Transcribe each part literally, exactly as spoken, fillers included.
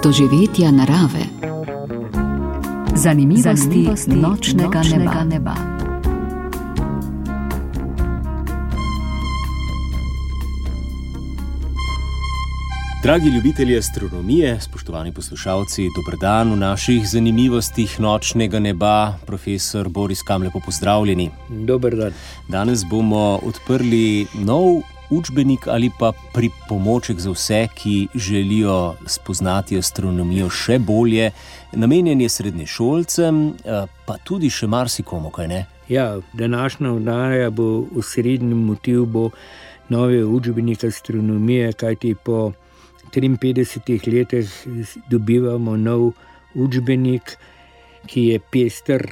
doživetja narave. Zanimivosti, Zanimivosti nočnega, nočnega neba. neba. Dragi ljubitelji astronomije, spoštovani poslušalci, dober dan v naših zanimivostih nočnega neba. Profesor Boris Kam, lepo pozdravljeni. Dober dan. Danes bomo odprli nov učbenik ali pa pripomoček za vse, ki želijo spoznati astronomijo še bolje. Namenjen je srednješolcem, pa tudi še marsikomu, kaj ne? Ja, današnja oddaja bo osrednji motiv bo novi učbenik astronomije, kajti po triinpetdesetih letih dobivamo nov učbenik, ki je pester,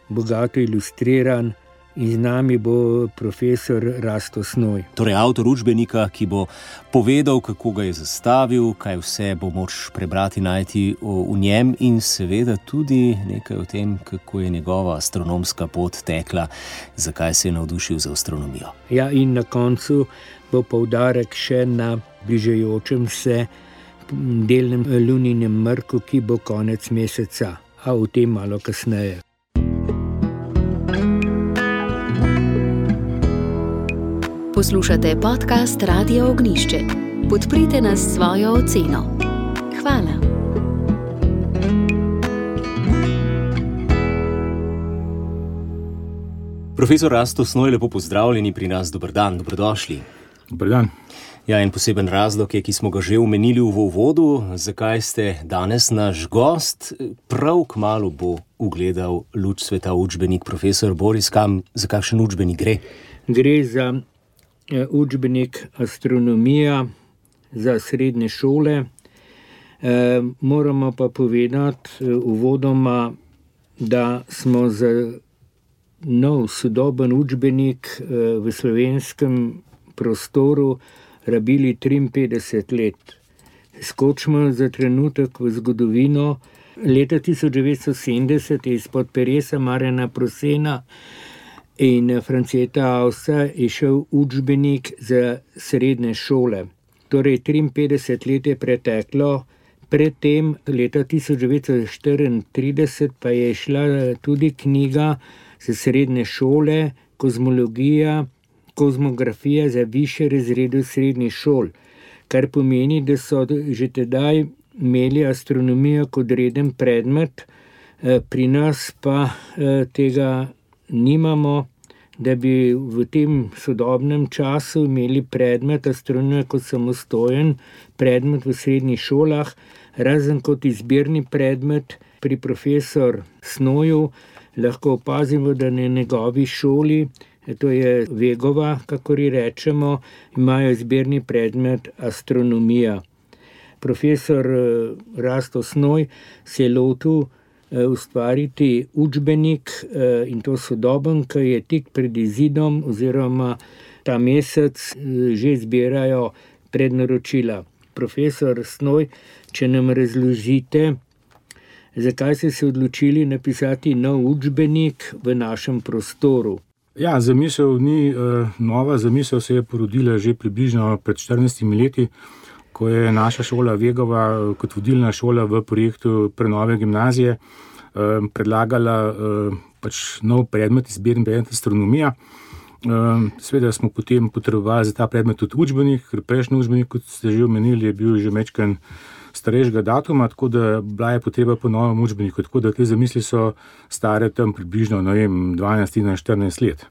bogato ilustriran, in z nami bo profesor Rasto Snoj. Torej avtor učbenika, ki bo povedal, kako ga je zastavil, kaj vse bo moč prebrati, najti v njem in seveda tudi nekaj o tem, kako je njegova astronomska pot tekla, zakaj se je navdušil za astronomijo. Ja, in na koncu bo poudarek še na bližajočem se delnem luninem mrku, ki bo konec meseca, a o tem malo kasneje. Poslušate podcast Radia Ognjišče. Podprite nas s svojo oceno. Hvala. Profesor Rasto Snoj, lepo pozdravljeni pri nas. Dober dan, dobrodošli. Dober dan. Ja, en poseben razlog je, ki smo ga že omenili v uvodu, zakaj ste danes naš gost. Prav kmalu bo ugledal luč sveta učbenik. Profesor Boris Kam, za kakšen učbenik gre? Gre za učbenik astronomija za srednje šole. E, moramo pa povedati uvodoma, da smo za nov sodoben učbenik v slovenskem prostoru rabili triinpetdeset let. Skočimo za trenutek v zgodovino. Leta tisoč devetsto sedemdeset je izpod peresa Marjana Prosena in Franceta Ausa je šel učbenik za srednje šole. Torej triinpetdeset let je preteklo, predtem leta tisoč devetsto štiriintrideset pa je šla tudi knjiga za srednje šole, kozmologija, kozmografija za višje razrede srednjih šol, kar pomeni, da so že tedaj imeli astronomijo kot reden predmet, pri nas pa tega nimamo, da bi v tem sodobnem času imeli predmet astronomije kot samostojen predmet v srednjih šolah, razen kot izbirni predmet pri profesor Snoju. Lahko opazimo, da na njegovi šoli, to je Vegova, kakor ji rečemo, imajo izbirni predmet astronomija. Profesor Rasto Snoj se je lotil ustvariti učbenik in to sodoben, ki je tik pred izidom oziroma ta mesec že zbirajo prednaročila. Profesor Snoj, če nam razložite, zakaj ste se odločili napisati nov učbenik v našem prostoru? Ja, zamisel ni uh, nova, zamisel se je porodila že približno pred štirinajstimi leti, ko je naša šola Vegova kot vodilna šola v projektu prenove gimnazije uh, predlagala uh, pač nov predmet, izbirni predmet astronomija. Uh, Seveda smo potem potrebovali za ta predmet tudi učbenik, ker prejšnji učbenik, kot ste že omenili, je bil že mečken starejšega datuma, tako da bila je potreba po novem učbeniku, tako da te zamisli so stare tam približno, ne vem, dvanajst, štirinajst let.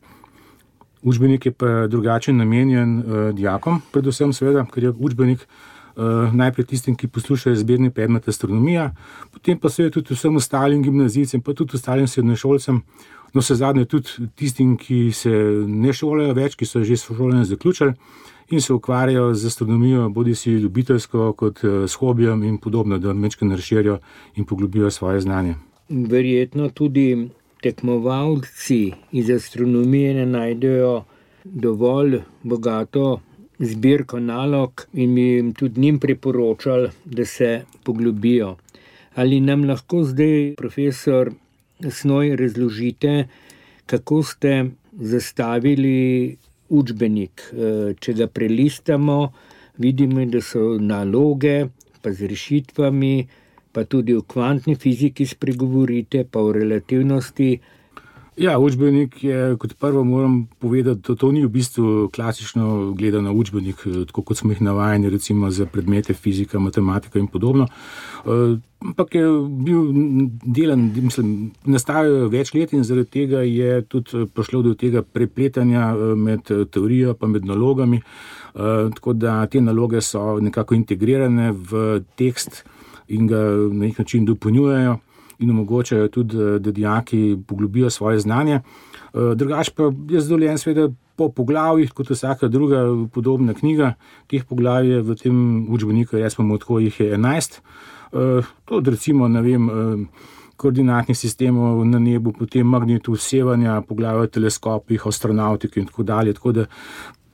Učbenik je pa drugačen namenjen uh, dijakom, predvsem seveda, ker je učbenik uh, najprej tistim, ki poslušajo izbirni predmet astronomija, potem pa seveda tudi vsem ostalim gimnazijcem, pa tudi ostalim srednješolcem, no vse zadnje tudi tistim, ki se ne šolajo več, ki so že šolanje zaključili in se ukvarjajo z astronomijo, bodi si ljubiteljsko kot s hobijem in podobno, da majčkeno razširijo in poglobijo svoje znanje. Verjetno tudi tekmovalci iz astronomije ne najdejo dovolj bogato zbirko nalog in bi jim tudi njim priporočali, da se poglobijo. Ali nam lahko zdaj, profesor Snoj, razložite, kako ste zastavili učbenik? Če ga prelistamo, vidimo, da so naloge, pa z rešitvami, pa tudi o kvantni fiziki spregovorite, pa o relativnosti. Ja, učbenik je, kot prvo moram povedati, da to ni v bistvu klasično gledano učbenik, tako kot smo jih navajeni recimo za predmete fizika, matematika in podobno. Ampak je bil delan, mislim, nastajajo več let in zaradi tega je tudi prišlo do tega prepletanja med teorijo pa med nalogami, tako da te naloge so nekako integrirane v tekst in ga na nek način dopolnjujejo in omogočajo tudi, da dijaki poglobijo svoje znanje. Drugač pa je zadovoljen seveda po poglavjih, kot vsaka druga podobna knjiga. Teh poglavij je v tem učbeniku, jaz pa tako jih je enajst. To recimo, ne vem, koordinatnih sistemov na nebu, potem magnetu sevanja, poglavje o teleskopih, astronautiki in tako dalje. Tako da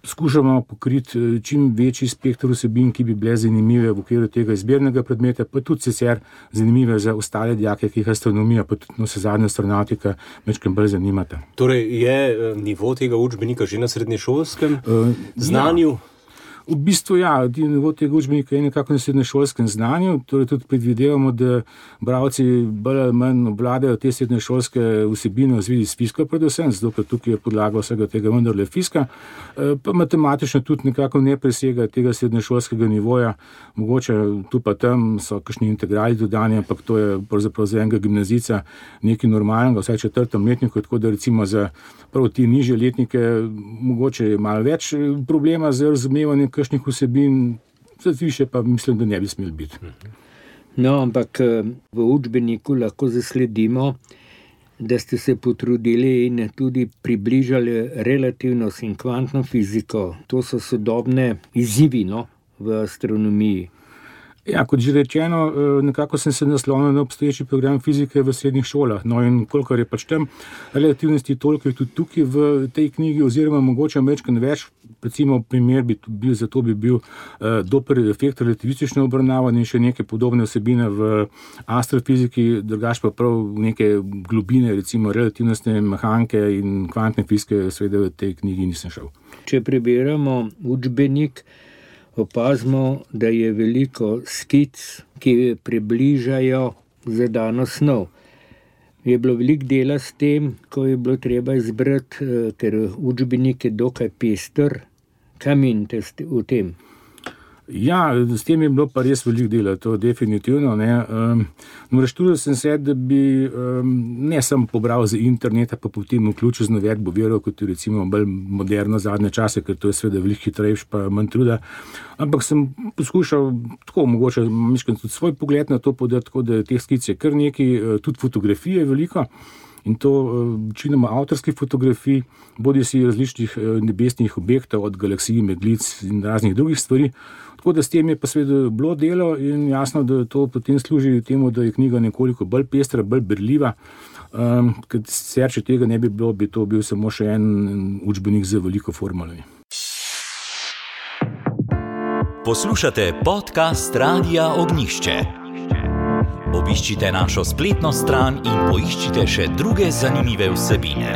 skušamo pokriti čim večji spektr vsebin, ki bi bile zanimive v okviru tega izbirnega predmeta, pa tudi sicer zanimive za ostale dijake, ki jih astronomija, pa tudi vsezadnja astronautika majčkeno bolj zanimata. Torej je nivo tega učbenika že na srednješolskem uh, znanju? Ja. V bistvu ja, nivo tega učbenika je nekako na srednješolskem znanju, torej tudi predvidevamo, da bralci bolj ali manj obvladajo te srednješolske vsebine v zvezi s fiziko predvsem, zato ker tukaj je podlaga vsega tega vendarle fizika, pa matematično tudi nekako ne presega tega srednješolskega nivoja, mogoče tu pa tam so kakšni integrali dodani, ampak to je pravzaprav za enega gimnazijca nekaj normalnega, vsaj četrtem letniku, tako da recimo za prav ti nižje letnike mogoče je malo več problema z razumevanjem kakšnih vsebin, za više pa mislim, da ne bi smeli biti. No, ampak v učbeniku lahko zasledimo, da ste se potrudili in tudi približali relativnost in kvantno fiziko. To so sodobne izzivi, no, v astronomiji. Ja, kot že rečeno, nekako sem se naslonil na obstoječi program fizike v srednjih šolah. No in kolikor je pač tam relativnosti, toliko je tudi tukaj v tej knjigi, oziroma mogoče majčkeno več. Recimo primer bi bil, zato bi bil uh, Doppler efekt relativistično obravnavan in še neke podobne vsebine v astrofiziki, drugač pa prav neke globine, recimo relativnostne mehanike in kvantne fizike, seveda v tej knjigi nisem šel. Če preberemo učbenik, opazimo, da je veliko skic, ki približajo zadano snov. Je bilo veliko dela s tem, ko je bilo treba izbrati, ker učbenik je dokaj pester. Kaj menite v tem? Ja, s tem je bilo pa res veliko dela, to definitivno. Ne. Um, no, reštural sem se, da bi um, ne samo pobral z interneta, pa potem vključil z navedbo virov, kot je recimo bolj moderno zadnje čase, ker to je seveda veliko hitrejš pa manj truda. Ampak sem poskušal tako mogoče miškam tudi svoj pogled na to podati, tako da teh skic je kar nekaj, tudi fotografije veliko. In to večinoma avtorskih fotografij, bodi si različnih nebesnih objektov, od galaksij, meglic in raznih drugih stvari. Tako da s tem je pa seveda bilo delo in jasno, da to potem služi temu, da je knjiga nekoliko bolj pestra, bolj berljiva. Um, ker sicer, če tega ne bi bilo, bi to bil samo še en učbenik z veliko formulami. Poslušate podcast Radia Ognjišče. Obiščite našo spletno stran in poiščite še druge zanimive vsebine.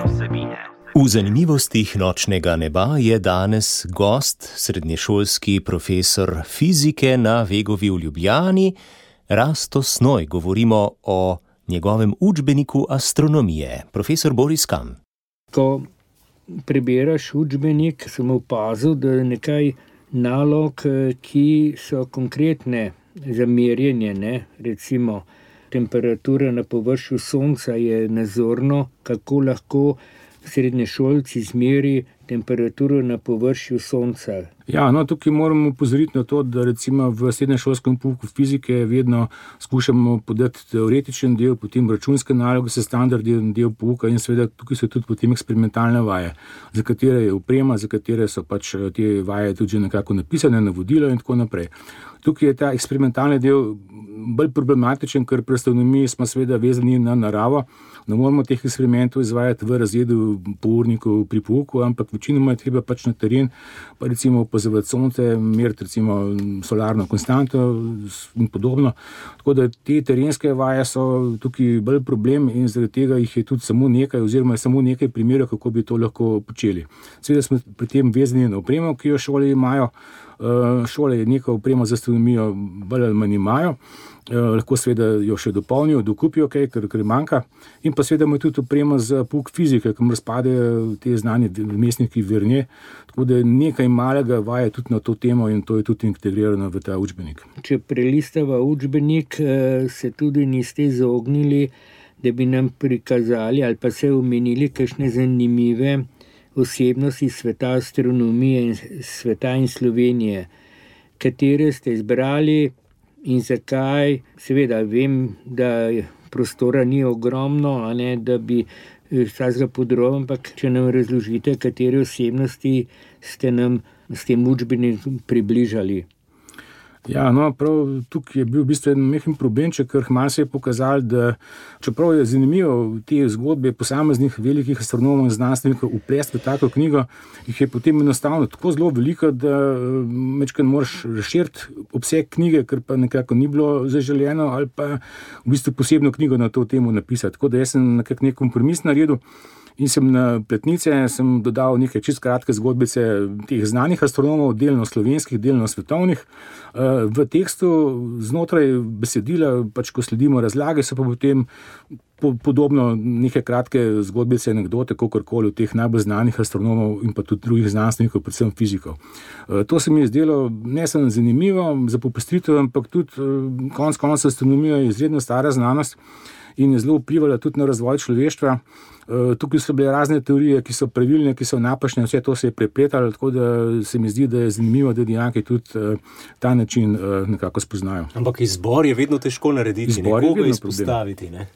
V zanimivostih nočnega neba je danes gost, srednješolski profesor fizike na Vegovi v Ljubljani, Rasto Snoj. Govorimo o njegovem učbeniku astronomije. Profesor Boris Kam. Ko preberaš učbenik, sem opazil, da je nekaj nalog, ki so konkretne za merjenje, ne? Recimo temperatura na površju Sonca je nazorno, kako lahko srednješolci izmeri temperaturo na površju Sonca. Ja, no, tukaj moramo opozoriti na to, da recimo v srednješolskem pouku fizike vedno skušamo podati teoretičen del, potem računske naloge, se standardni del pouka in seveda tukaj so tudi potem eksperimentalne vaje, za katere je oprema, za katere so pač te vaje tudi že nekako napisane, navodila in tako naprej. Tukaj je ta eksperimentalni del bolj problematičen, ker pri astronomiji smo seveda vezani na naravo. Ne moramo teh eksperimentov izvajati v razredu pournikov pri pouku, ampak večinoma je treba pač na teren, pa recimo opazovati sonce, meriti recimo solarno konstanto in podobno. Tako da te terenske vaje so tukaj bolj problem in zaradi tega jih je tudi samo nekaj oziroma je samo nekaj primerov, kako bi to lahko počeli. Seveda smo pri tem vezani na opremo, ki jo šole imajo, Šole neko opremo za astronomijo bolj ali manj imajo. Lahko seveda jo še dopolnijo, dokupijo kaj, ker, ker manjka. In pa seveda imajo tudi opremo za pouk fizike, kamor spadajo te znanje vmesniki Vernier. Tako da nekaj malega vaje tudi na to temo in to je tudi integrirano v ta učbenik. Če prelistava učbenik, se tudi niste izognili, da bi nam prikazali ali pa se omenili kakšne zanimive osebnosti sveta astronomije in sveta in Slovenije, katere ste izbrali in zakaj. Seveda vem, da prostora ni ogromno, a ne, da bi vsakega podroben, ampak če nam razložite, katere osebnosti ste nam s tem učbenikom približali. Ja, no, prav tukaj je bil v bistvu en mehen problemček, ker malo se je pokazalo, da čeprav je zanimivo te zgodbe posameznih velikih astronomov in znanstvenikov uplesti v tako knjigo, jih je potem enostavno tako zelo veliko, da večkrat moraš razširiti obseg knjige, ker pa nekako ni bilo zaželeno, ali pa v bistvu posebno knjigo na to temo napisati. Tako da jaz sem nekako nek kompromis naredil. In sem na platnice sem dodal nekaj čist kratke zgodbice teh znanih astronomov, delno slovenskih, delno svetovnih. V tekstu znotraj besedila, pač ko sledimo razlage, so pa potem podobno neke kratke zgodbice, anekdote, kakorkoli od teh najbolj znanih astronomov in pa tudi drugih znanstvenikov, predvsem fizikov. To se mi je zdelo ne samo zanimivo za popestritev, ampak tudi konec koncev astronomija je izredno stara znanost in je zelo vplivala tudi na razvoj človeštva. Tukaj so bile razne teorije, ki so pravilne, ki so napačne, vse to se je prepletalo, tako da se mi zdi, da je zanimivo, da dijaki tudi ta način nekako spoznajo. Ampak izbor je vedno težko narediti, nekoga izpostaviti, ne?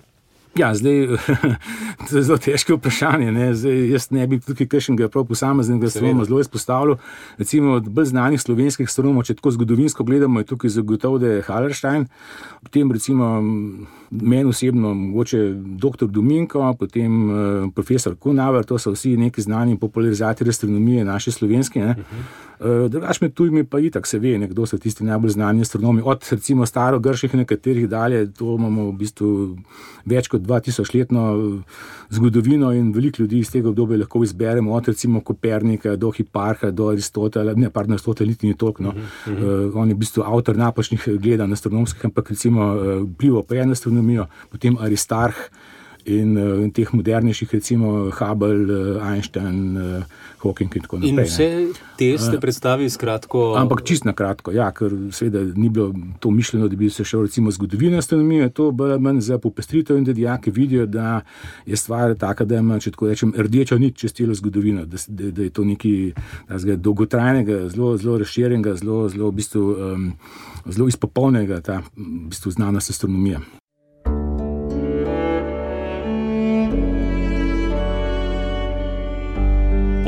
Ja, zdaj, to je zelo težko vprašanje, ne? Zdaj, jaz ne bi tukaj kakšnega prav posameznega astronomov zelo izpostavljal. Recimo od bolj znanih slovenskih astronomov, če tako zgodovinsko gledamo, je tukaj zagotovo, da je Hallerstein, potem recimo meni osebno mogoče doktor Dominko, potem uh, profesor Kunaver, to so vsi neki znani popularizatorji astronomije naše slovenske, ne? Uh, drugač med tujimi pa itak se ve, kdo so tisti najbolj znani astronomi, od recimo starogrških nekaterih dalje, to imamo v bistvu več kot dva tisoč letno zgodovino in veliko ljudi iz tega obdobja lahko izberemo, od recimo Kopernika do Hipparha, do Aristotela, ne, pardon, Aristotel niti ni toliko, no. Uh-huh, uh-huh. Uh, on je v bistvu avtor napačnih gledanj astronomskih, ampak recimo uh, vplival pa je na astronomijo, potem Aristarh in uh, teh modernejših, recimo Hubble, uh, Einstein, uh, Hawking in tako naprej. In vse te ste predstavili skratko... Ampak čist na kratko, ja, ker seveda ni bilo to mišljeno, da bi se šel recimo zgodovina astronomije, to bolj manj za popestritev in da dijaki vidijo, da je stvar taka, da ima, če tako rečem, rdeča nit čez celo zgodovino, da, da, da je to nekaj dolgotrajnega, zelo, zelo razširjenega, zelo, zelo, v bistvu, um, zelo izpopolnega ta v bistvu znanost astronomije.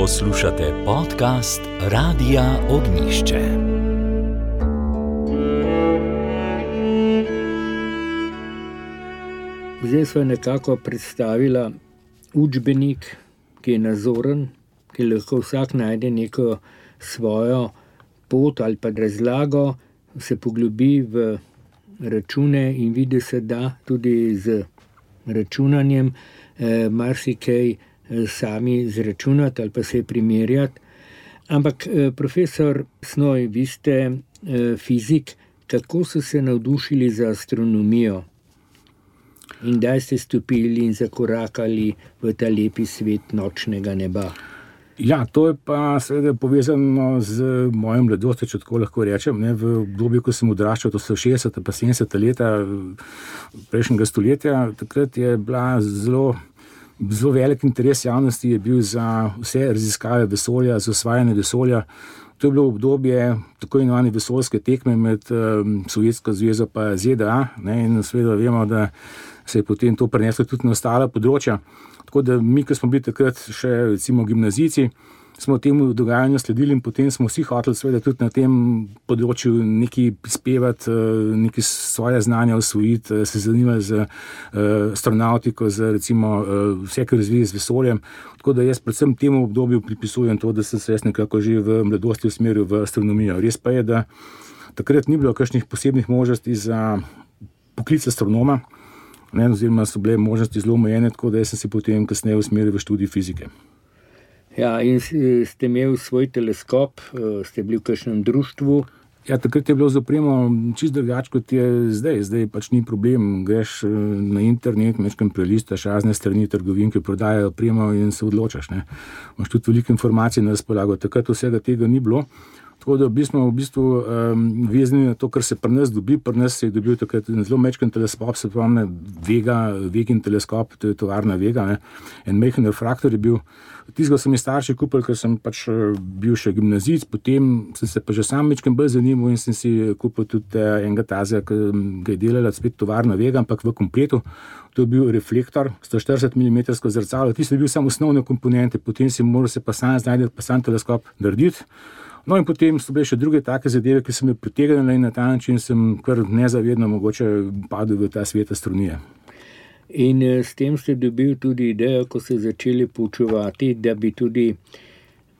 Poslušate podcast Radia Ognjišče. Zdaj sva nekako predstavila učbenik, ki je nazoren, ki lahko vsak najde neko svojo pot ali pa razlago, se poglobi v račune in vidi se da tudi z računanjem eh, marsikaj sami zračunati ali pa se primerjati. Ampak profesor Snoj, vi ste fizik, kako so se navdušili za astronomijo in kdaj ste stopili in zakorakali v ta lepi svet nočnega neba? Ja, to je pa seveda povezano z mojim mladostjo, če tako lahko rečem, ne, v obdobju, ko sem odraščal, to so šestdeseta pa sedemdeseta leta prejšnjega stoletja, takrat je bila zelo Zelo velik interes javnosti je bil za vse raziskave vesolja, za osvajanje vesolja. To je bilo obdobje tako imenovane vesoljske tekme med um, Sovjetsko zvezo pa Z D A, ne, in seveda vemo, da se je potem to preneslo tudi na ostala področja. Tako da mi, ko smo bili takrat še recimo gimnazijci, smo temu dogajanju sledili in potem smo vsi hoteli seveda tudi na tem področju nekaj prispevati, nekaj svoje znanja osvojiti, se zanimali za astronautiko, za recimo vse, kar razvije z vesoljem. Tako da jaz predvsem temu obdobju pripisujem to, da sem se jaz nekako že v mladosti usmeril v astronomijo. Res pa je, da takrat ni bilo kakšnih posebnih možnosti za poklic astronoma, ne, oziroma so bile možnosti zelo omejene, tako da jaz sem se potem kasneje usmeril v študij fizike. Ja, in ste imeli svoj teleskop, ste bili v kakšnem društvu? Ja, takrat je bilo z opremo čisto drugače, kot je zdaj. Zdaj pač ni problem, greš na internet, mečkam prelistaš razne strani trgovin, ki prodajajo opremo in se odločaš. Ne. Imaš tudi veliko informacij na razpolago. Takrat vsega tega ni bilo. Tako da smo v bistvu um, vezani na to, kar se pri nas dobi. Pri nas se je dobil takrat zelo mečkan teleskop, se pomne Vega, Vegin teleskop, to je tovarna Vega, ne. En majhen refraktor je bil. Tistega so mi starši kupili, ker sem pač bil še gimnazijec, potem sem se pa že sam mečkan bolj zanimal in sem si kupil tudi enega tazega, ki ga je delala spet tovarna Vega, ampak v kompletu. To je bil reflektor, sto štirideset milimetrov zrcalo, tisto je bil samo osnovne komponente, potem si moral se pa sam znajti, pa sam teleskop narediti. No in potem so bile še druge take zadeve, ki so me pritegnile in na ta način sem kar nezavedno mogoče padel v ta svet astronomije. In s tem ste dobili tudi idejo, ko ste začeli poučevati, da bi tudi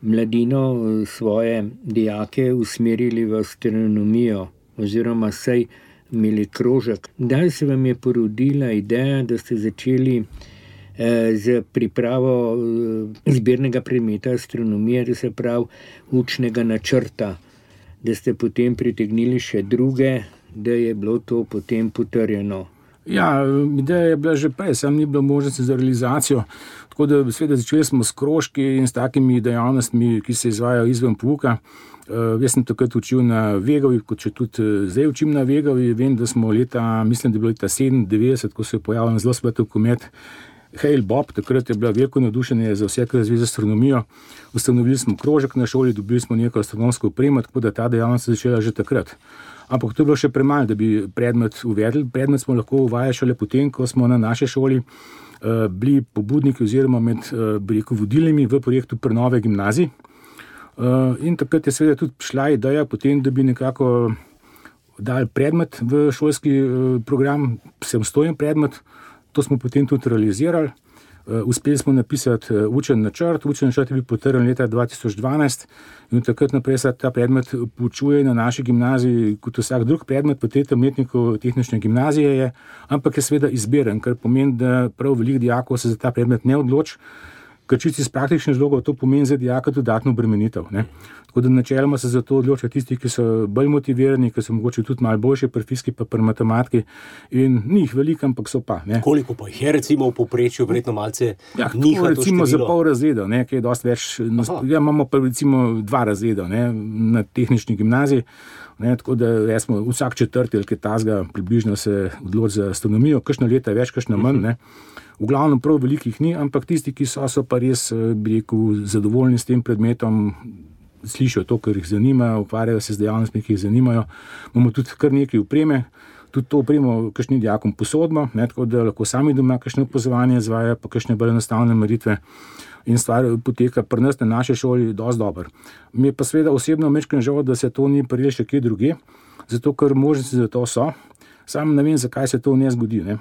mladino svoje dijake usmerili v astronomijo oziroma saj imeli krožek. Kdaj se vam je porodila ideja, da ste začeli z pripravo izbirnega predmeta astronomije, da se pravi učnega načrta, da ste potem pritegnili še druge, da je bilo to potem potrjeno? Ja, ideja je bila že prej, sam ni bilo možnosti za realizacijo, tako da seveda začeli smo s krožki in s takimi dejavnostmi, ki se izvajajo izven pouka. Uh, jaz sem takrat učil na Vegovi, kot če tudi zdaj učim na Vegovi. Vem, da smo leta, mislim, da je bilo leta sedemindevetdeset, ko se je pojavil zelo svetel komet Hale Bopp, takrat je bila veliko navdušenje za vse, kar zvezi z astronomijo. Ustanovili smo krožek na šoli, dobili smo neko astronomsko opremo, tako da ta dejavnost se začela že takrat. Ampak to je bilo še premalo, da bi predmet uvedli. Predmet smo lahko uvajali šele potem, ko smo na naši šoli uh, bili pobudniki oziroma med uh, rekel, vodilnimi v projektu prenove gimnazij. Uh, in takrat je seveda tudi šla ideja potem, da bi nekako dali predmet v šolski uh, program, samstojen predmet. To smo potem tudi realizirali. Uh, uspeli smo napisati uh, učen načrt. Učen načrt je bil potrjen leta dva tisoč dvanajst in od takrat naprej se ta predmet poučuje na naši gimnaziji kot vsak drug predmet v tretjem letniku tehnične gimnazije je, ampak je seveda izberen, kar pomeni, da prav veliko dijakov se za ta predmet ne odloči, ker čisto iz praktičnih razlogov to pomeni za dijaka dodatno obremenitev. Ne. Tako da načeloma se za to odločajo tisti, ki so bolj motivirani, ki so mogoče tudi malo boljši pri fiziki pa pri matematiki in ni jih veliko, ampak so pa. Ne. Koliko pa jih je recimo v povprečju, verjetno malce ja, niha to recimo število? Za pol razredov, ne, ki je dosti več. Ja, imamo pa recimo dva razreda ne, na tehnični gimnaziji, ne, tako da smo vsak četrti ali kaj tazga približno se odloči za astronomijo, kakšno leta več, kakšno manj, ne. V glavnem prav velikih ni, ampak tisti, ki so, so pa res, bi rekel, zadovoljni s tem predmetom, slišijo to, kar jih zanima, ukvarjajo se z dejavnostmi, ki jih zanimajo. Imamo tudi kar nekaj opreme, tudi to opremo kakšnim dijakom posodimo, ne, tako da lahko sami doma kakšne opazovanje izvajajo, pa kakšne bolj enostavne meritve in stvar poteka pri nas na naši šoli dosti dobro. Mi je pa seveda osebno mečkam žal, da se to ni prijelo še kje drugje, zato ker možnosti za to so, sam ne vem, zakaj se to ne zgodi, ne.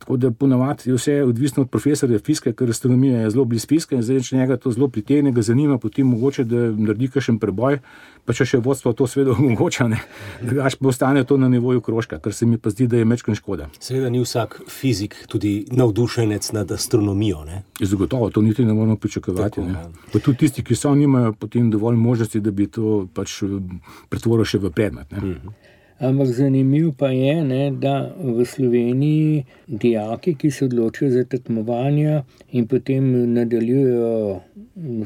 Tako da ponavadi je vse odvisno od profesorja fizike, ker astronomija je zelo blizu fizike in zdaj, če njega to zelo pritegne, ga zanima, potem mogoče, da naredi kakšen preboj, pa če še vodstvo to seveda omogoča, ne, až pa ostane to na nivoju krožka, kar se mi pa zdi, da je mečkan škoda. Seveda ni vsak fizik tudi navdušenec nad astronomijo, ne? Zagotovo, to niti ne moramo pričakovati. Tako, ne. Pa tudi tisti, ki so, nimajo potem dovolj možnosti, da bi to pač pretvoril še v predmet. Ne. Mhm. Ampak zanimivo pa je, ne, da v Sloveniji dijaki, ki se odločijo za tekmovanja in potem nadaljujejo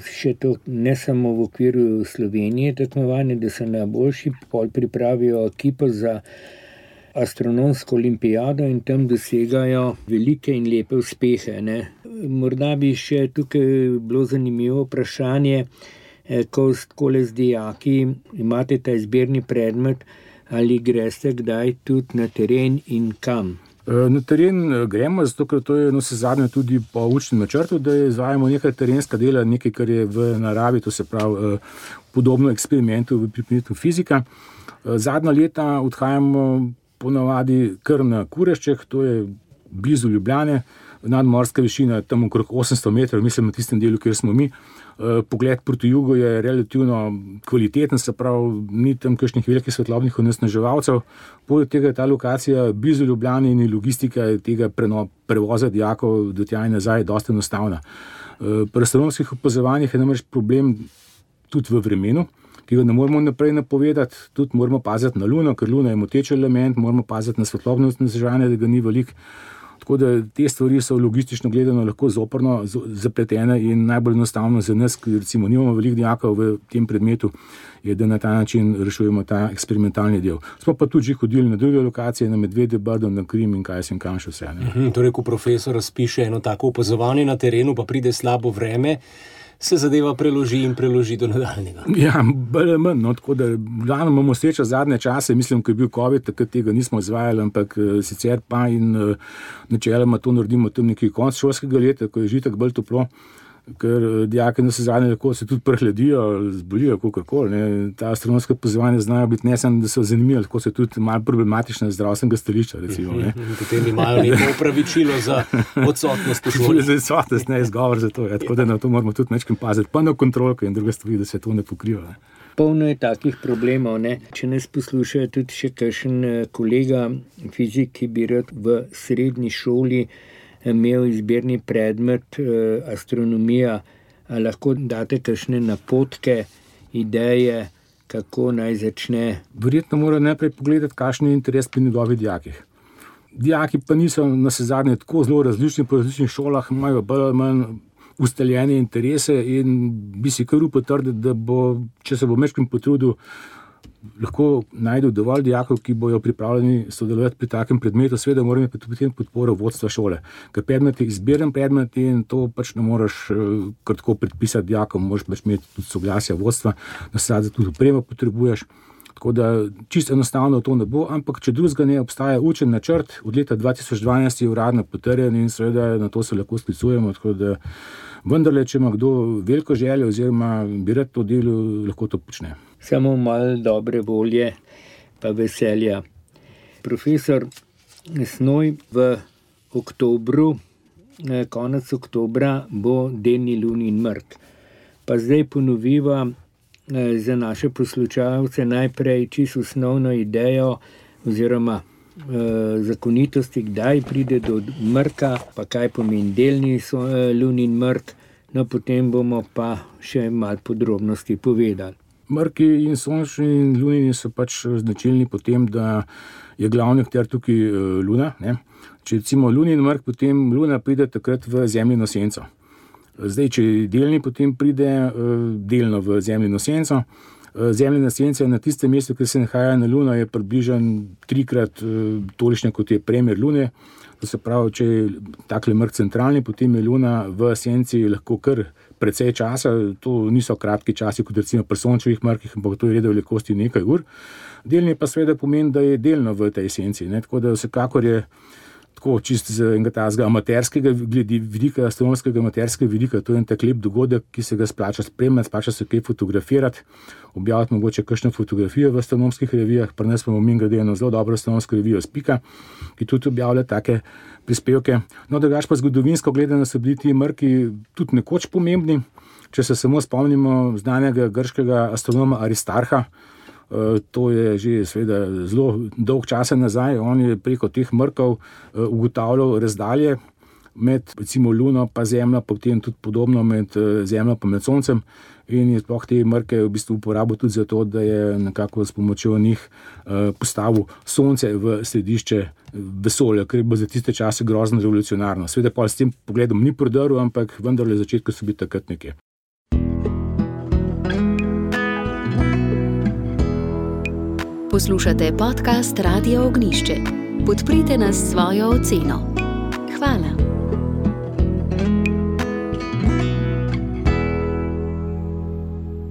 še to ne samo v okviru Slovenije tekmovanja, da so najboljši, pol pripravijo ekipo za astronomsko olimpijado in tam dosegajo velike in lepe uspehe. Ne. Morda bi še tukaj bilo zanimivo vprašanje, ko skole z dijaki imate ta izbirni predmet, ali greste kdaj tudi na teren in kam? Na teren gremo, zato ker to je no, se zadnje tudi po učnem načrtu, da izvajamo nekaj terenska dela, nekaj, kar je v naravi, to se pravi podobno eksperimentu v predmetu fizika. Zadnja leta odhajamo ponavadi kar na Kurešček, to je blizu Ljubljane, nadmorska višina tam okrog osemsto metrov, mislim na tistem delu, kjer smo mi. Pogled proti jugu je relativno kvaliteten, se pravi, ni tam kakšnih velikih svetlobnih onesnaževalcev. Poleg tega je ta lokacija blizu Ljubljane in logistika tega prevoza dijakov do tja in nazaj dosti enostavna. Pri astronomskih opazovanjih je namreč problem tudi v vremenu, ki ga ne moramo naprej napovedati, tudi moramo paziti na luno, ker luna je moteč element, moramo paziti na svetlobno onesnaževanje, da ga ni veliko. Tako da te stvari so logistično gledano lahko zoprno zapletene in najbolj enostavno za nas, ki recimo nimamo veliko dijakov v tem predmetu, je, da na ta način rešujemo ta eksperimentalni del. Smo pa tudi že hodili na druge lokacije, na Medvedje, Brdo, na Krim in kaj sem kam še vse. Mhm, torej, ko profesor razpiše eno tako opazovanje na terenu, pa pride slabo vreme, se zadeva preloži in preloži do nadaljnega. Ja, bolj manj, no, tako da glavno imamo srečo zadnje čase, mislim, ko je bil COVID, takrat tega nismo izvajali, ampak sicer pa in načeloma to naredimo tam nekaj konc šolskega leta, ko je že tako bolj toplo, ker dijaki na zadnje lahko se tudi prehladijo, zbolijo, kakorkoli, ne. Ta astronomska opazovanja znajo biti ne samo, da so zanimivi, lahko so tudi malo problematične z zdravstvenega stališča, recimo, ne. Potem imajo neko opravičilo za odsotnost v šoli. Za odsotnost, ne, izgovor za to, ja. Tako da na to moramo tudi nekaj paziti, pa na kontrolke in druge stvari, da se to ne pokriva, ne. Polno je takih problemov, ne. Če nas poslušajo tudi še kakšen kolega fizik, ki bi rad v srednji šoli imel izbirni predmet eh, astronomija, a lahko date kakšne napotke, ideje, kako naj začne? Verjetno mora najprej pogledati, kakšen je interes pri njegovih dijakih. Dijaki pa niso navsezadnje tako zelo različni po različnih šolah, imajo bolj ali manj ustaljene interese in bi si kar upal trditi, da bo, če se bo majčkeno potrudil, lahko najdel dovolj dijakov, ki bojo pripravljeni sodelovati pri takem predmetu, seveda mora imeti potem podporo vodstva šole. Ker predmet je izbiren predmet in to pač ne moreš kar tako predpisati dijakom, moraš pač imeti tudi soglasja vodstva, da se tudi opremo potrebuješ. Tako da čisto enostavno to ne bo, ampak če drugega ne, obstaja učen načrt, od leta dva tisoč dvanajst je uradno potrjen in seveda na to se lahko sklicujemo, tako da vendarle, če ima kdo veliko željo oziroma bi rad to delo, lahko to počne. Samo malo dobre volje pa veselja. Profesor Snoj, v oktobru, konec oktobra bo delni lunin mrk. Pa zdaj ponoviva za naše poslušalce najprej čisto osnovno idejo oziroma eh, zakonitosti, kdaj pride do mrka, pa kaj pomeni delni so, eh, lunin mrk, no potem bomo pa še malo podrobnosti povedali. Mrki in sončni in lunini so pač značilni po tem, da je glavni akter tukaj luna, ne. Če recimo lunin mrk, potem luna pride takrat v zemljino senco. Zdaj, če je delni, potem pride delno v zemljino senco. Zemljina senca na tistem mestu, kjer se nahaja na luno, je približno trikrat tolikšna, kot je premer lune. To se pravi, če je takle mrk centralni, potem je luna v senci lahko kar precej časa. To niso kratki časi, kot recimo pri sončevih mrkih, ampak to je reda velikosti nekaj ur. Delni pa seveda pomeni, da je delno v tej senci, ne? Tako da vsekakor je tako čisto z enega tazga amaterskega vidika, astronomskega amaterskega vidika, to je en tak lep dogodek, ki se ga splača spremljati, splača se kaj fotografirati, objaviti mogoče kakšno fotografijo v astronomskih revijah, pri nas imamo mimogrede eno zelo dobro astronomsko revijo Spika, ki tudi objavlja take prispevke. No, drugače pa zgodovinsko gledano so bili ti mrki tudi nekoč pomembni. Če se samo spomnimo znanega grškega astronoma Aristarha, to je že seveda zelo dolg časa nazaj, on je preko teh mrkov ugotavljal razdalje med recimo luno pa zemljo, potem tudi podobno med zemljo pa med soncem in je sploh te mrke v bistvu uporabil tudi zato, da je nekako s pomočjo njih postavil sonce v središče vesolja, kar je bilo za tiste čase grozno revolucionarno. Seveda pa s tem pogledom ni prodrl, ampak vendarle začetku so bili takrat nekje. Poslušate podcast Radia Ognišče. Podprite nas s svojo oceno. Hvala.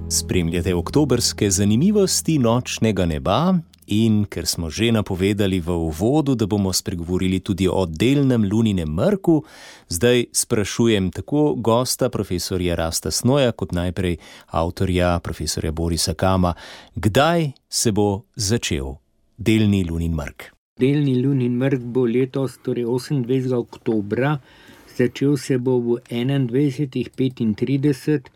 Spremljate oktobrske zanimivosti nočnega neba in ker smo že napovedali v uvodu, da bomo spregovorili tudi o delnem luninem mrku, zdaj sprašujem tako gosta profesorja Rasta Snoja kot najprej avtorja profesorja Borisa Kama, kdaj se bo začel delni lunin mrk? Delni lunin mrk bo letos, torej osemindvajsetega oktobra, začel se bo v enaindvajsetih petintrideset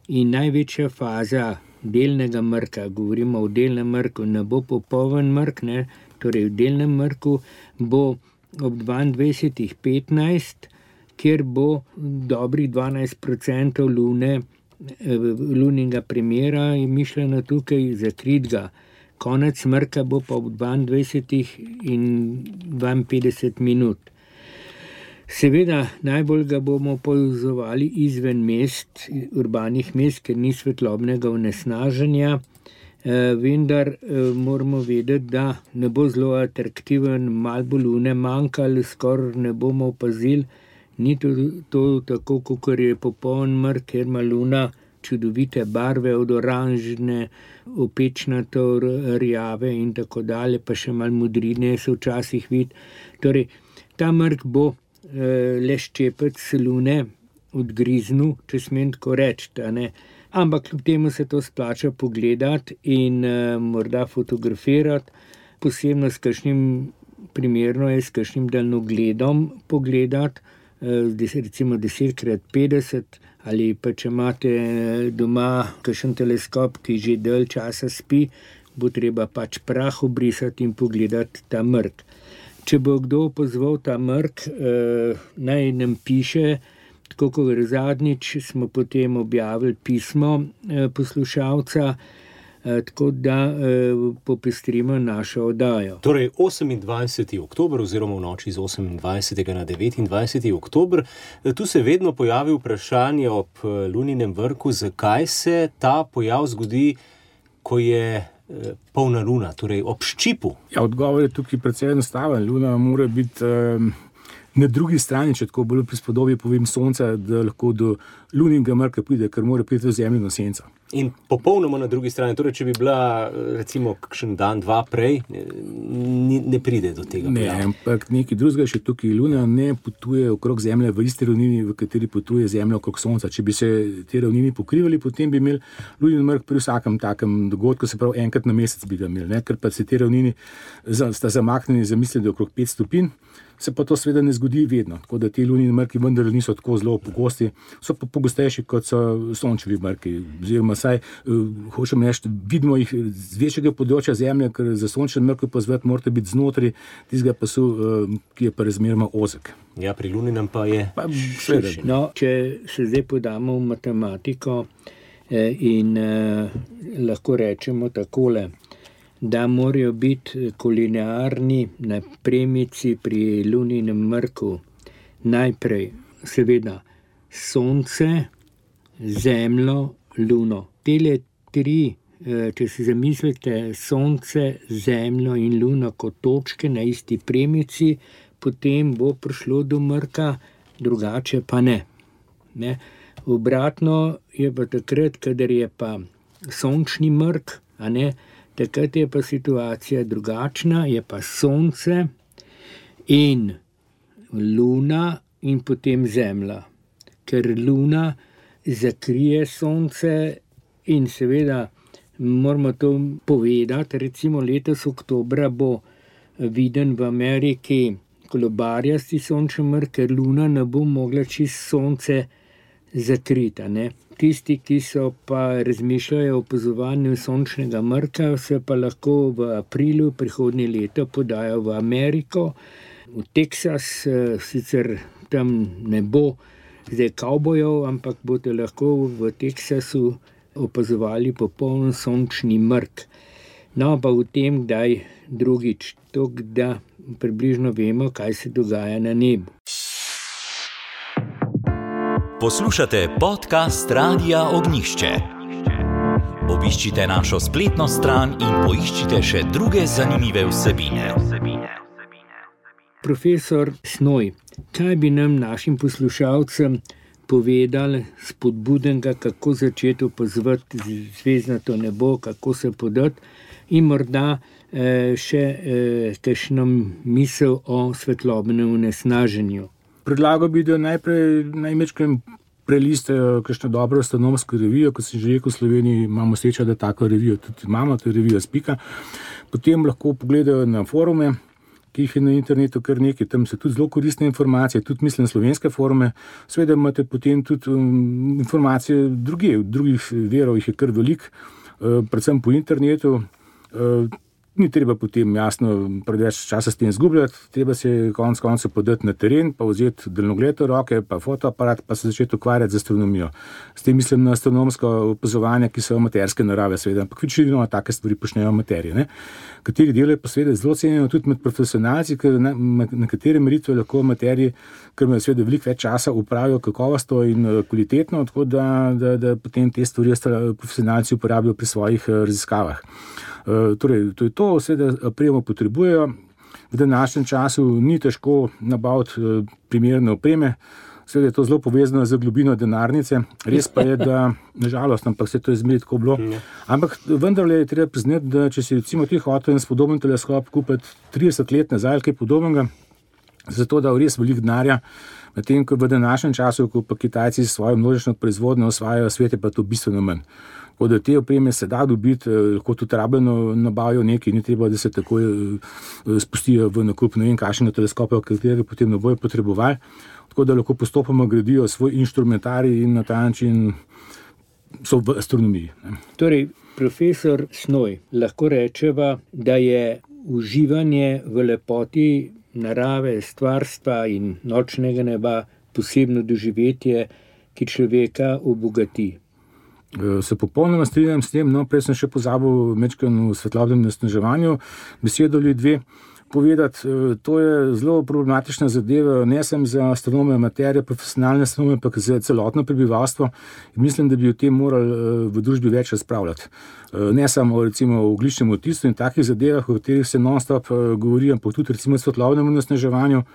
in največja faza delnega mrka, govorimo o delnem mrku, ne bo popoln mrk, ne, torej v delnem mrku bo ob dvaindvajsetih petnajst, kjer bo dobrih dvanajst procentov lune, lunega premjera je mišljeno tukaj zakritga. Konec mrka bo pa ob dvaindvajsetih in dvainpetdeset minut. Seveda, najbolj ga bomo opazovali izven mest, urbanih mest, ker ni svetlobnega onesnaženja, eh, vendar eh, moramo vedeti, da ne bo zelo atraktiven, malo bo lune manjka ali skoraj ne bomo opazili. Ni to, to tako, kot je popoln mrk, ker ima luna čudovite barve, od oranžne, opečnato, rjave in tako dalje, pa še malo modrine se včasih vidi. Torej, ta mrk bo eh, le ščepec lune odgriznil, če smem tako reči, ne. Ampak kljub temu se to splača pogledati in eh, morda fotografirati, posebno s kakšnim, primerno je s kakšnim daljnogledom pogledati, eh, recimo deset krat petdeset, ali pa če imate doma kakšen teleskop, ki že dalj časa spi, bo treba pač prah obrisati in pogledati ta mrk. Če bo kdo opazval ta mrk, eh, naj nam piše, tako kot zadnjič smo potem objavili pismo eh, poslušalca, eh, tako da eh, popestrimo našo oddajo. Torej osemindvajseti oktober oziroma v noči z osemindvajsetega na devetindvajseti oktober. Tu se vedno pojavi vprašanje ob luninem vrku, zakaj se ta pojav zgodi, ko je polna luna, torej ob ščipu. Ja, odgovor je tukaj precej enostaven. Luna mora biti um, na drugi strani, če tako bolj prispodobi povem sonca, da lahko do lunega mrka pride, ker mora priti v zemljino senco. In popolnoma na drugi strani, torej če bi bila recimo kakšen dan, dva prej, ne, ne pride do tega. Ne, pojava. Ampak nekaj drugega še tukaj. Luna ne potuje okrog Zemlje v isti ravnini, v kateri potuje Zemlja okrog Sonca. Če bi se te ravnini pokrivali, potem bi imeli lunin mrk pri vsakem takem dogodku, se pravi enkrat na mesec bi ga imeli, ne? Ker pa se te ravnini sta zamaknjeni za mislim, da okrog pet stopinj. Se pa to seveda ne zgodi vedno, tako da ti lunini mrki vendar niso tako zelo pogosti, so pa pogostejši kot so sončevi mrki, oziroma saj, uh, hočem reči, vidimo jih z večjega področja Zemlje, ker za sončen mrk pozvati morate biti znotraj tistega pasu, uh, ki je pa razmeroma ozek. Ja, pri luninem pa je pa, širši. No, če se zdaj podamo v matematiko eh, in eh, lahko rečemo takole, da morajo biti kolinearni na premici pri luninem mrku najprej seveda sonce, zemljo, luno. Tele tri, če si zamislite sonce, zemljo in luno kot točke na isti premici, potem bo prišlo do mrka, drugače pa ne. ne? Obratno je pa takrat, kadar je pa sončni mrk, a ne, takrat je pa situacija drugačna, je pa sonce in luna in potem zemlja. Ker luna zakrije sonce in seveda moramo to povedati, recimo letos oktobra bo viden v Ameriki kolobarjasti sončni mrk, ker luna ne bo mogla čist sonce zakrita, ne. Tisti, ki so pa razmišljajo o opazovanju sončnega mrka, se pa lahko v aprilu prihodnje leto podajo v Ameriko, v Teksas, sicer tam ne bo zdaj kavbojev, ampak boste lahko v Teksasu opazovali popoln sončni mrk. No, pa v tem, kdaj drugič, to, da približno vemo, kaj se dogaja na nebu. Poslušate podcast Radia Ognišče. Obiščite našo spletno stran in poiščite še druge zanimive vsebine. Profesor Snoj, kaj bi nam našim poslušalcem povedali spodbudenega, kako začeti opazovati zvezdnato nebo, kako se podati in morda eh, še eh, kakšno misel o svetlobnem onesnaženju? Predlagal bi, da najprej najmečkrat prelistajo kakšno dobro astronomsko revijo, kot sem že rekel, v Sloveniji imamo srečo, da tako revijo tudi imamo, to je revija Spika. Potem lahko pogledajo na forume, ki jih je na internetu kar nekaj, tam so tudi zelo koristne informacije, tudi mislim slovenske forume. Seveda imate potem tudi um, informacije druge, drugih verov jih je kar veliko, uh, predvsem po internetu. Uh, Ni treba potem jasno preveč časa s tem izgubljati, treba se konec koncev podati na teren, pa vzeti daljnogled v roke, pa fotoaparat, pa se začeti ukvarjati z astronomijo. S tem mislim na astronomsko opazovanje, ki so amaterske narave, seveda, ampak večino take stvari počnejo amaterji, ne. Kateri delo je pa seveda zelo cenjeno tudi med profesionalci, ker na, na katere meritve lahko amaterji, ker imajo seveda veliko več časa, upravijo kakovostno in kvalitetno, tako da, da, da potem te stvari profesionalci uporabijo pri svojih raziskavah. Uh, torej, to je to, seveda opremo potrebujejo. V današnjem času ni težko nabaviti uh, primerne opreme, seveda je to zelo povezano z globino denarnice. Res pa je, da nažalost, ampak se to je zmeraj tako bilo. Ampak vendarle je treba priznati, da če si recimo ti hotel en spodoben teleskop kupiti trideset let nazaj, kaj podobnega, zato da res veliko denarja, medtem ko v današnjem času, ko pa Kitajci s svojo množično proizvodnjo osvajajo svet, je pa to bistveno manj. Tako da te opreme se da dobiti, lahko tudi rabljeno nabavijo nekaj, ni treba, da se takoj spustijo v nakup ne vem kakšnega teleskopa, katerega potem ne bojo potrebovali. Tako da lahko postopoma gradijo svoj inštrumentarij in na ta način so v astronomiji. Torej, profesor Snoj, lahko rečeva, da je uživanje v lepoti narave, stvarstva in nočnega neba posebno doživetje, ki človeka obogati. Se popolnoma strinjam s tem, no, prej sem še pozabil mečkano v svetlobnem onesnaževanju besedo ali dve povedati. To je zelo problematična zadeva, ne samo za astronome, amaterje, profesionalne astronome, ampak za celotno prebivalstvo. In mislim, da bi o tem morali v družbi več razpravljati. Ne samo recimo o ogljičnem odtisu in takih zadevah, o katerih se non-stop govori, ampak tudi recimo o svetlobnem onesnaževanju,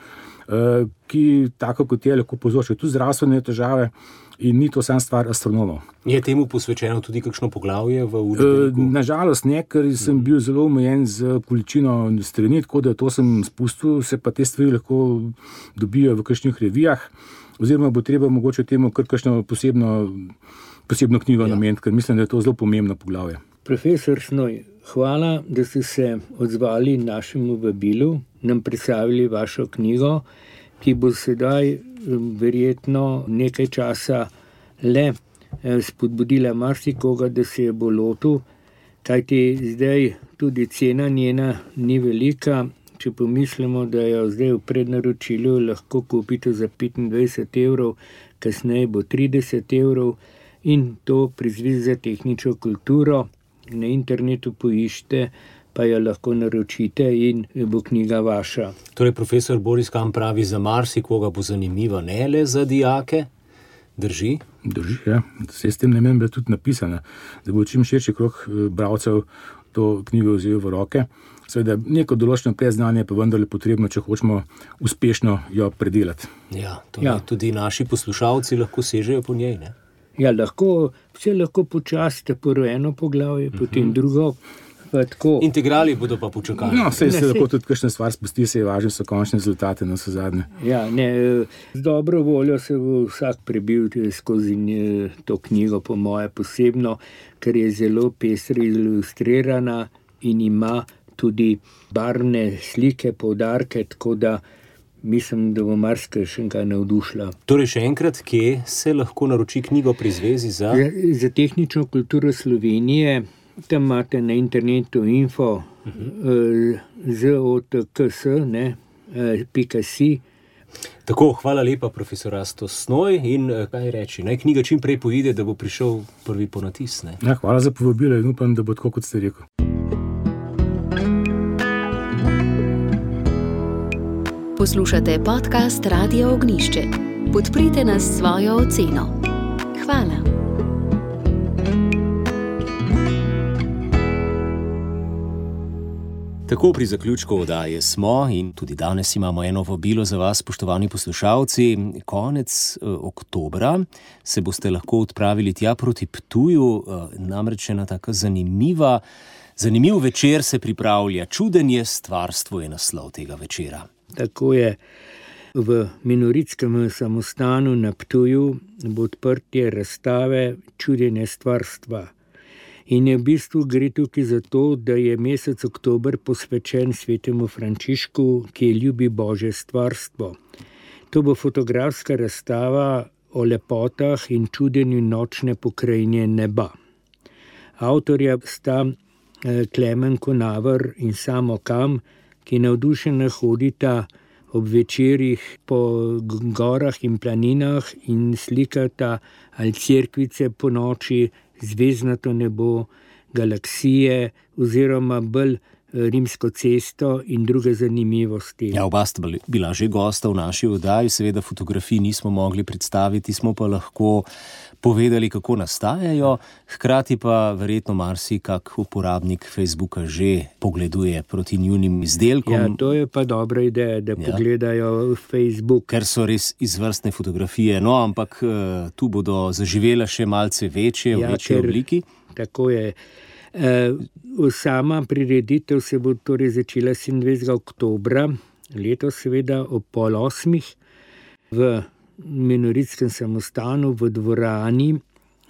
ki tako kot je lahko povzroča tudi zdravstvene težave. In ni to sam stvar astronomov. Je temu posvečeno tudi kakšno poglavje v učbeniku? E, nažalost ne, ker sem bil zelo omejen z količino strani, tako da to sem spustil, se pa te stvari lahko dobijo v kakšnih revijah, oziroma bo treba mogoče temu kar kakšno posebno, posebno knjigo ja. nameniti, ker mislim, da je to zelo pomembno poglavje. Profesor Snoj, hvala, da ste se odzvali našemu vabilu, nam predstavili vašo knjigo, ki bo sedaj verjetno nekaj časa le spodbudila marsikoga, da se je bo lotil, kajti zdaj tudi cena njena ni velika. Če pomislimo, da jo zdaj v prednaročilu lahko kupite za petindvajset evrov, kasneje bo trideset evrov in to pri Zvezi za tehnično kulturo na internetu poiščite, pa jo lahko naročite in bo knjiga vaša. Torej, profesor Boris Kam pravi, za marsikoga bo zanimiva, ne le za dijake. Drži? Drži, ja. Se s tem namenom je tudi napisana, da bo čim širši krog bralcev to knjigo vzel v roke. Seveda, neko določeno predznanje pa vendarle potrebno, če hočemo uspešno jo predelati. Ja, ja. Tudi naši poslušalci lahko sežejo po njej, ne? Ja, lahko, vse lahko počasite po eno poglavje, uh-huh. potem drugo. Integrali bodo pa počakali. No, se, se lahko tudi kakšne stvar spusti, se je važno, so končne rezultate na vse zadnje. Ja, ne, z dobro voljo se bo vsak prebil skozi to knjigo, po moje posebno, ker je zelo pestra ilustrirana in ima tudi barvne slike, poudarke, tako da mislim, da bo marsikaj še kaj navdušila. Torej, še enkrat, kje se lahko naroči knjigo pri Zvezi za... Za, za tehnično kulturo Slovenije. Tam imate na internetu info uh-huh. zotks, ne, pika si. Tako, hvala lepa, profesor Rasto Snoj, in kaj reči, naj knjiga čim prej poide, da bo prišel prvi ponatis, ne? Ja, hvala za povabilo in upam, da bo tako, kot ste rekel. Poslušate podcast Radia Ognišče. Podprite nas s svojo oceno. Hvala. Tako pri zaključku oddaje smo in tudi danes imamo eno vabilo za vas, spoštovani poslušalci. Konec eh, oktobra se boste lahko odpravili tja proti Ptuju, eh, namreč ena taka zanimiva, zanimiv večer se pripravlja. Čudenje stvarstvo je naslov tega večera. Tako je. V Minoritskem samostanu na Ptuju bo odprtje razstave Čudenje stvarstva. In je v bistvu gre tukaj za to, da je mesec oktober posvečen svetemu Frančišku, ki ljubi Božje stvarstvo. To bo fotografska razstava o lepotah in čudenju nočne pokrajine neba. Avtorja sta Klemen Konavar in Samo Kam, ki navdušeno hodita ob večerih po gorah in planinah in slikata ali cerkvice po noči, zvezdnato nebo, galaksije oziroma bolj Rimsko cesto in druge zanimivosti. Ja, oba sta bila že gosta v naši oddaji, seveda fotografij nismo mogli predstaviti, smo pa lahko povedali, kako nastajajo, hkrati pa verjetno marsikak uporabnik Facebooka že pogleduje proti njunim izdelkom. Ja, to je pa dobra ideja, da ja. pogledajo Facebook. Ker so res izvrstne fotografije, no, ampak tu bodo zaživele še malce večje, ja, v večji ker, obliki. Tako je. Uh, sama prireditev se bo torej začela sedemindvajsetega oktobra, letos seveda ob pol osmih v Minoritskem samostanu v dvorani.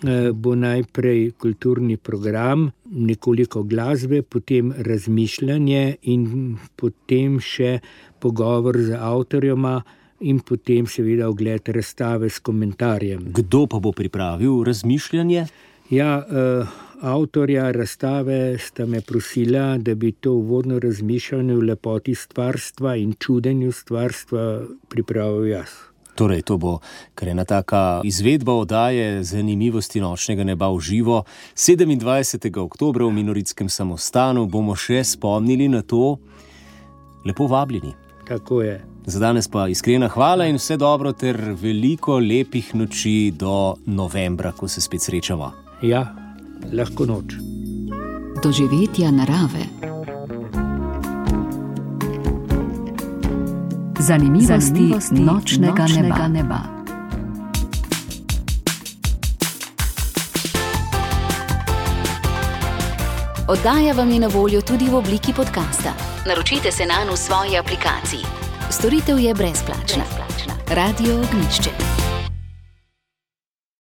Uh, bo najprej kulturni program, nekoliko glasbe, potem razmišljanje in potem še pogovor z avtorjema in potem seveda ogled razstave s komentarjem. Kdo pa bo pripravil razmišljanje? Ja, uh, avtorja razstave sta me prosila, da bi to uvodno razmišljanje v lepoti stvarstva in čudenju stvarstva pripravil jaz. Torej, to bo kar ena taka izvedba oddaje Zanimivosti nočnega neba v živo. sedemindvajsetega oktobra v Minoritskem samostanu bomo še spomnili na to. Lepo vabljeni. Tako je. Za danes pa iskrena hvala in vse dobro ter veliko lepih noči do novembra, ko se spet srečamo. Ja, lahko noč. Doživetja narave. Zanimivosti, Zanimivosti nočnega, nočnega neba. neba. Oddaja vam je na voljo tudi v obliki podcasta. Naročite se nanj v svoji aplikaciji. Storitev je brezplačna. brezplačna. Radio Ognjišče.